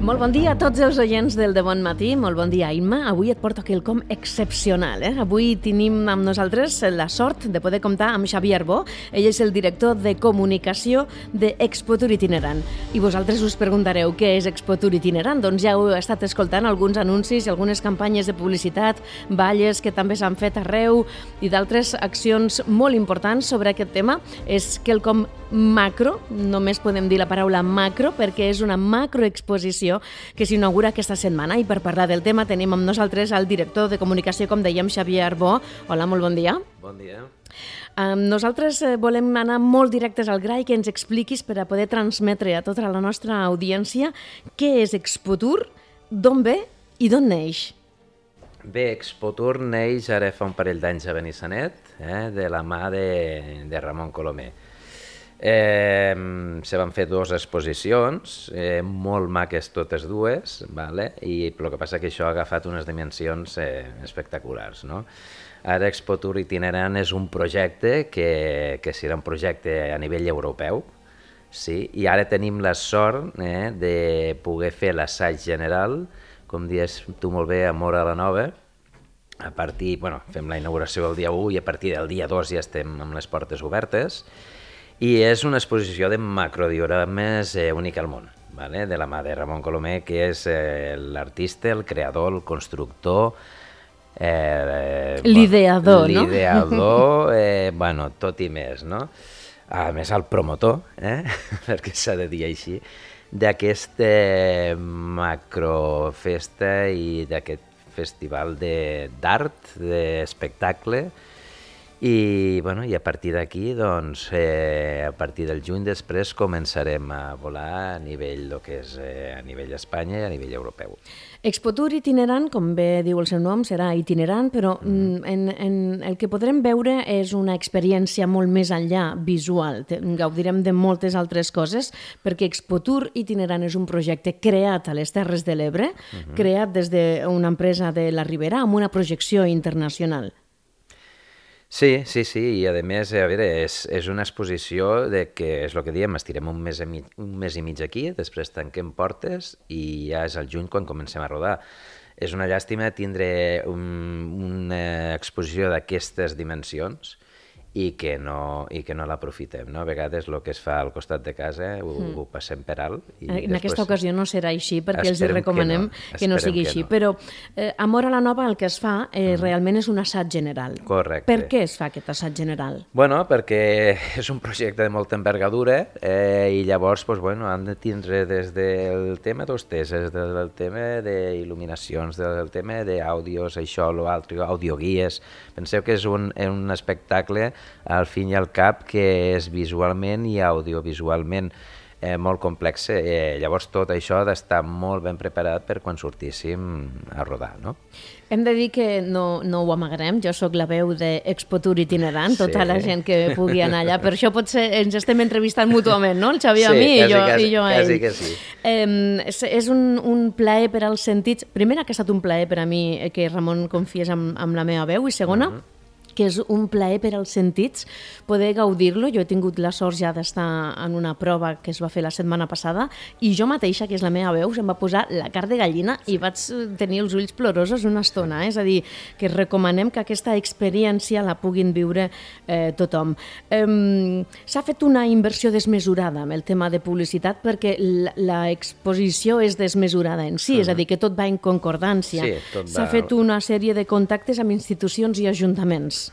Molt bon dia a tots els oients del De Bon Matí, molt bon dia, Imma. Avui et porto quelcom excepcional. Avui tenim amb nosaltres la sort de poder comptar amb Xavier Arbó. Ell és el director de comunicació d'Expotur Itinerant. I vosaltres us preguntareu què és Expotur Itinerant? Doncs ja heu estat escoltant alguns anuncis i algunes campanyes de publicitat, balles que també s'han fet arreu i d'altres accions molt importants sobre aquest tema. És quelcom macro, només podem dir la paraula macro, perquè és una macroexposició que s'inaugura aquesta setmana. I per parlar del tema tenim amb nosaltres el director de comunicació, com dèiem, Xavier Arbó. Hola, molt bon dia. Bon dia. Nosaltres volem anar molt directes al gra i que ens expliquis per a poder transmetre a tota la nostra audiència què és Expotur, d'on ve i d'on neix. Bé, Expotur neix ara fa un parell d'anys a Benissanet, de la mà de Ramon Colomer. Se van fer dues exposicions, molt maques totes dues, i el que passa que això ha agafat unes dimensions espectaculars. Ara Expotur Itinerant és un projecte que serà un projecte a nivell europeu, i ara tenim la sort de poder fer l'assaig general, com dius tu molt bé, a Móra la Nova. Fem la inauguració el dia 1 i a partir del dia 2 ja estem amb les portes obertes. I és una exposició de macrodiorames única al món, de la mà de Ramon Colomer, que és l'artista, el creador, el constructor, l'ideador, no? L'ideador, tot i més, no? A més, el promotor, perquè s'ha de dir així, d'aquesta macrofesta i d'aquest festival d'art, d'espectacle. I a partir d'aquí, a partir del juny després, començarem a volar a nivell Espanya i a nivell europeu. Expotur Itinerant, com bé diu el seu nom, serà itinerant, però el que podrem veure és una experiència molt més enllà visual. Gaudirem de moltes altres coses, perquè Expotur Itinerant és un projecte creat a les Terres de l'Ebre, creat des d'una empresa de la Ribera amb una projecció internacional. Sí, i a més, és una exposició que és el que diem, estirem un mes i mig aquí, després tanquem portes i ja és al juny quan comencem a rodar. És una llàstima tindre una exposició d'aquestes dimensions i que no l'aprofitem. A vegades el que es fa al costat de casa ho passem per alt. En aquesta ocasió no serà així, perquè els recomanem que no sigui així. Però a Móra la Nova el que es fa realment és un assaig general. Correcte. Per què es fa aquest assaig general? Perquè és un projecte de molta envergadura i llavors han de tindre des del tema d'hostesses, del tema d'il·luminacions, del tema d'àudios, això, l'altre, audioguies. Penseu que és un espectacle al fin i al cap que és visualment i audiovisualment molt complex. Llavors tot això ha d'estar molt ben preparat per quan sortíssim a rodar, no? Hem de dir que no ho amagarem, jo sóc la veu d'Expotur Itinerant, tota la gent que pugui anar allà, per això potser ens estem entrevistant mútuament, no? El Xavier a mi i jo a ell. Sí, quasi que sí. És un plaer per als sentits. Primer, que ha estat un plaer per a mi que Ramon confiés amb la meva veu, i segona, que és un plaer per als sentits poder gaudir-lo. Jo he tingut la sort ja d'estar en una prova que es va fer la setmana passada i jo mateixa, que és la meva veu, se'm va posar la carn de gallina i vaig tenir els ulls plorosos una estona. És a dir, que recomanem que aquesta experiència la puguin viure tothom. S'ha fet una inversió desmesurada amb el tema de publicitat perquè l'exposició és desmesurada en si, és a dir, que tot va en concordància. S'ha fet una sèrie de contactes amb institucions i ajuntaments.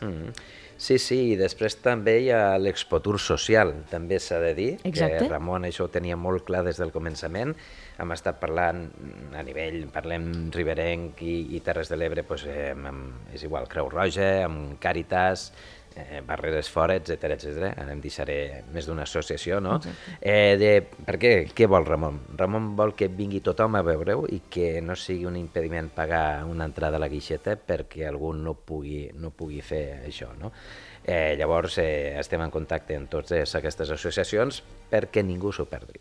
Sí, i després també hi ha l'Expotur social, també s'ha de dir. Exacte. Que Ramon això ho tenia molt clar des del començament. Hem estat parlant a nivell, parlem riberenc i Terres de l'Ebre, és igual, Creu Roja, amb Càritas, Barreres Fora, etcètera. Ara em deixaré més d'una associació, no? Per què vol Ramon? Ramon vol que vingui tothom a veure-ho i que no sigui un impediment pagar una entrada a la guixeta perquè algú no pugui fer això, no? Llavors estem en contacte amb totes aquestes associacions perquè ningú s'ho perdi.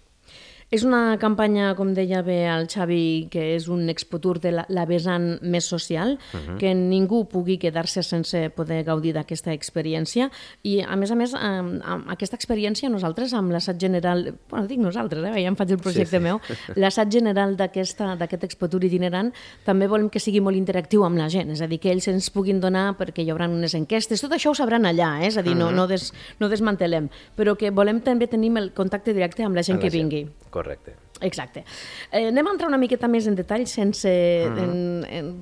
És una campanya, com deia bé el Xavi, que és un expotur de la vessant més social, que ningú pugui quedar-se sense poder gaudir d'aquesta experiència. I, a més, aquesta experiència nosaltres, amb l'assaig general, bueno, dic nosaltres, ja em faig el projecte meu, l'assaig general d'aquest expotur itinerant, també volem que sigui molt interactiu amb la gent, és a dir, que ells ens puguin donar, perquè hi haurà unes enquestes, tot això ho sabran allà, és a dir, no desmantelem, però que volem també tenir el contacte directe amb la gent que vingui. Correcte. Exacte. Anem a entrar una miqueta més en detall sense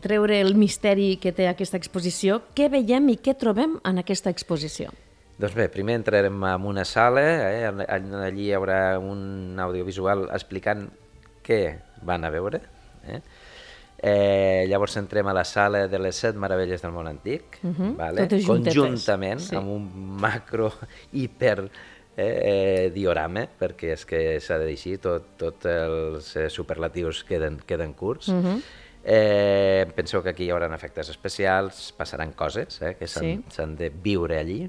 treure el misteri que té aquesta exposició. Què veiem i què trobem en aquesta exposició? Doncs bé, primer entrarem en una sala, allí hi haurà un audiovisual explicant què van a veure. Llavors entrem a la sala de les 7 meravelles del món antic, conjuntament amb un macro hiper diorama, perquè és que s'ha de dir així, tots els superlatius queden curts. Penseu que aquí hi haurà efectes especials, passaran coses que s'han de viure allí.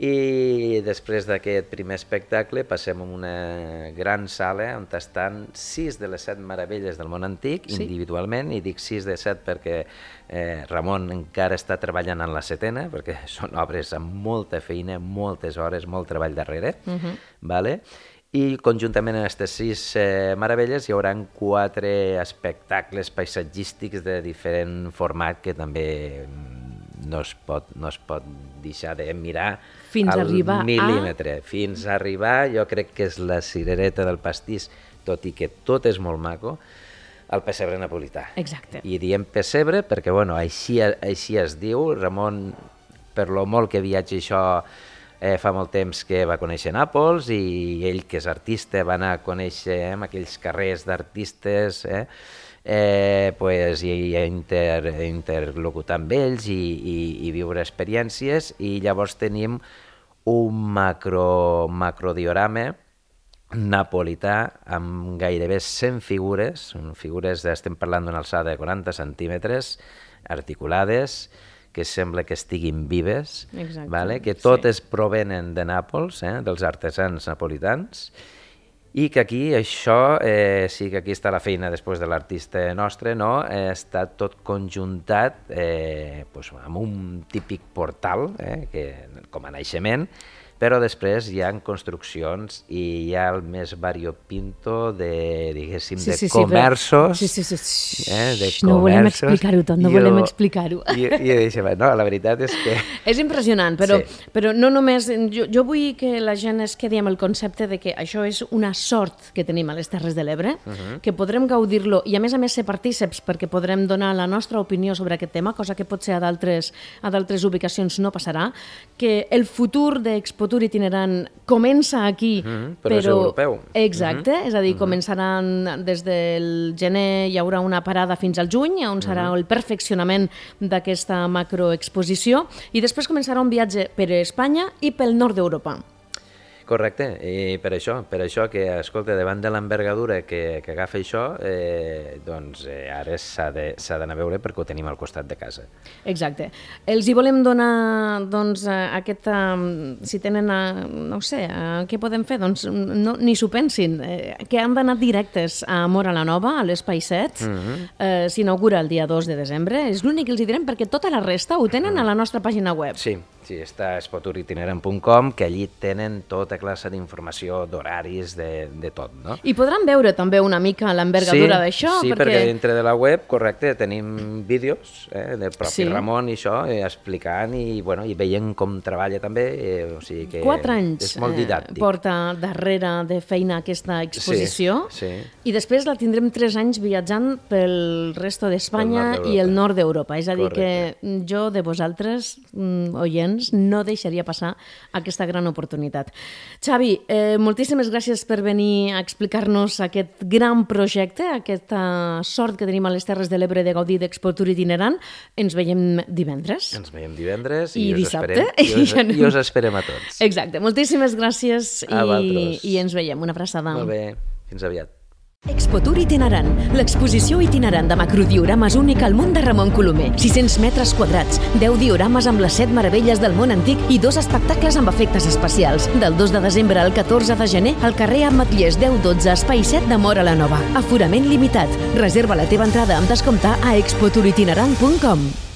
I després d'aquest primer espectacle passem a una gran sala on estan 6 de les 7 meravelles del món antic, individualment, i dic 6 de 7 perquè Ramon encara està treballant en la 7ª, perquè són obres amb molta feina, moltes hores, molt treball darrere, i conjuntament en aquestes 6 meravelles hi haurà 4 espectacles paisatgístics de diferent format que també no es pot deixar de mirar al mil·límetre. Fins a arribar, jo crec que és la cirereta del pastís, tot i que tot és molt maco, al pessebre napolità. Exacte. I diem pessebre perquè, bueno, així es diu. Ramon, per lo molt que viatja això, fa molt temps que va conèixer Nàpols i ell, que és artista, va anar a conèixer aquells carrers d'artistes, i interlocutar amb ells i viure experiències, i llavors tenim un macrodiorama napolità amb gairebé 100 figures, estem parlant d'una alçada de 40 centímetres, articulades, que sembla que estiguin vives, que totes provenen de Nàpols, dels artesans napolitans, i que aquí això, sí que aquí està la feina després de l'artista nostre, està tot conjuntat amb un típic portal, com a naixement, però després hi ha construccions i hi ha el més variopinto de, diguéssim, de comerços. No volem explicar-ho tot, no volem explicar-ho. I no, la veritat és que... És impressionant, però no només... Jo vull que la gent es quedi amb el concepte de que això és una sort que tenim a les Terres de l'Ebre, que podrem gaudir-lo i a més ser partíceps perquè podrem donar la nostra opinió sobre aquest tema, cosa que potser a d'altres ubicacions no passarà, que el futur d'Expotur itinerant comença aquí, però és europeu. Exacte, és a dir, començaran des del gener, hi haurà una parada fins al juny, on serà el perfeccionament d'aquesta macroexposició, i després començarà un viatge per Espanya i pel nord d'Europa. Correcte, i per això que, escolta, davant de l'envergadura que agafa això, doncs ara s'ha d'anar a veure perquè ho tenim al costat de casa. Exacte. Els hi volem donar, doncs, si tenen, no sé, què podem fer? Doncs ni s'ho pensin, que han d'anar directes a Móra la Nova, a l'Espai 7, s'inaugura el dia 2 de desembre, és l'únic que els hi direm perquè tota la resta ho tenen a la nostra pàgina web. Sí, està a expoturitinerant.com, que allí tenen tota classe d'informació, d'horaris, de tot, no? I podran veure també una mica l'envergadura d'això. Sí, perquè dintre de la web, correcte, tenim vídeos del propi Ramon i això, explicant i veient com treballa també, o sigui que 4 anys és molt didàctic. Porta darrere de feina aquesta exposició, i després la tindrem 3 anys viatjant pel resto d'Espanya i el nord d'Europa. És a dir, que jo de vosaltres, oients, no deixaria passar aquesta gran oportunitat. Xavi, moltíssimes gràcies per venir a explicar-nos aquest gran projecte, aquesta sort que tenim a les Terres de l'Ebre de gaudir d'Expotur itinerant. Ens veiem divendres. I dissabte. I us esperem a tots. Exacte. Moltíssimes gràcies i ens veiem. Una abraçada. Molt bé. Fins aviat. Expotour itinerant, l'exposició itinerant de macrodiorames única al món de Ramon Colomer. 600 metres quadrats, 10 diorames amb les 7 meravelles del món antic i 2 espectacles amb efectes especials. Del 2 de desembre al 14 de gener, al carrer Ametllers 1012, espai 7 de Móra la Nova. Aforament limitat. Reserva la teva entrada amb descompte a expotouritinerant.com.